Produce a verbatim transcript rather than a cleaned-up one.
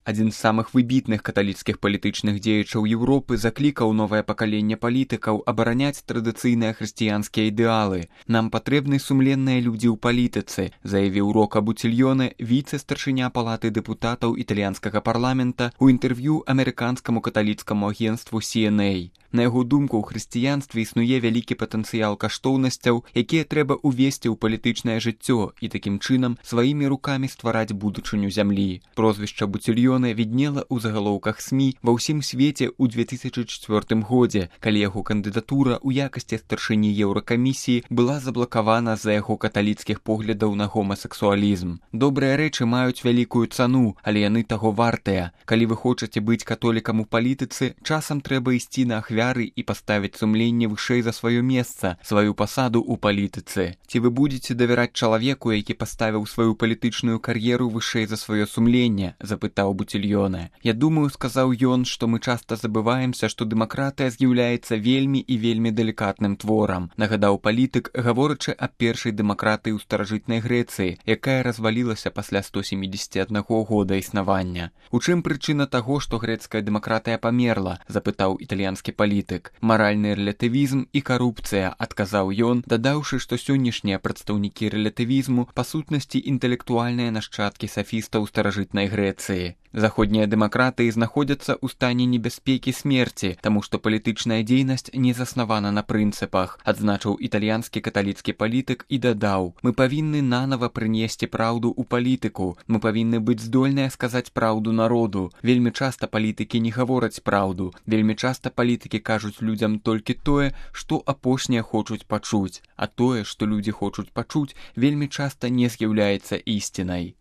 Адзін з самых выбітных каталіцкіх палітычных дзеячаў Еўропы заклікаў новае пакаленне палітыкаў абараняць традыцыйныя хрысціянскія ідэалы. «Нам патрэбны сумленныя людзі ў палітыцы», заявіў Рока Бутильёне, віцэ-старшыня палаты дэпутатаў італьянскага парламента у інтэрв'ю амерыканскаму каталіцкаму агенцтву Си Эн Эй. На яго думку, ў хрысціянстве існуе вялікі патэнцыял каштоўнасцяў, якія трэба ўвесці ў палітычнае жыццё і такім чынам сваімі рукамі ствараць будучыню зямлі. Прозвішча Бутильёне віднела ў загалоўках СМІ ва ўсім свеце ў две тысячы чвёртым годзе, калі яго кандыдатура ў якасці старшыні Еўракамісіі была заблакавана з-за яго каталіцкіх поглядаў на гомасексуалізм. Добрыя рэчы маюць вялікую цану, але яны таго вартыя. Калі вы хочаце быць католікам у палітыцы, часам трэба ісці на ахвяры і паставіць сумленне вышэй за сваё месца, сваю пасаду ў палітыцы. Ці вы будзеце давяраць чалавеку, які паставіў сваю палітычную кар'еру вышэй за сваё сумленне, запытаў Бутильёне. Я думаю, сказаў ён, што мы часта забываемся, што дэмакратыя з'яўляецца вельмі і вельмі далікатным творам, нагадаў палітык, гаворачы аб першай дэмакратыі ў старажытнай Грэцыі, якая развалілася пасля сто сямідзесяці аднаго года існавання. У чым прычына таго, што грэцкая дэмакратыя памерла, запытаў італьянскі палітык. Маральны рэлятывізм і карупцыя, адказаў ён, дадаўшы, што сённяшнія прадстаўнікі рэлятывізму па сутнасці інтэлектуальныя нашчадкі сафістаў старажытнай Грэцыі. Заходнія дэмакратыі знаходзяцца ў стане небяспекі смерці, таму што палітычная дзейнасць не заснавана на прынцыпах, адзначыў італьянскі каталіцкі палітык і дадаў: «Мы павінны нанава прынесці праўду ў палітыку, мы павінны быць здольныя сказаць праўду народу. Вельмі часта палітыкі не гавораць праўду, вельмі часта палітыкі кажуць людзям толькі тое, што апошнія хочуць пачуць, а тое, што людзі хочуць пачуць, вельмі часта не з'яўляецца ісцінай».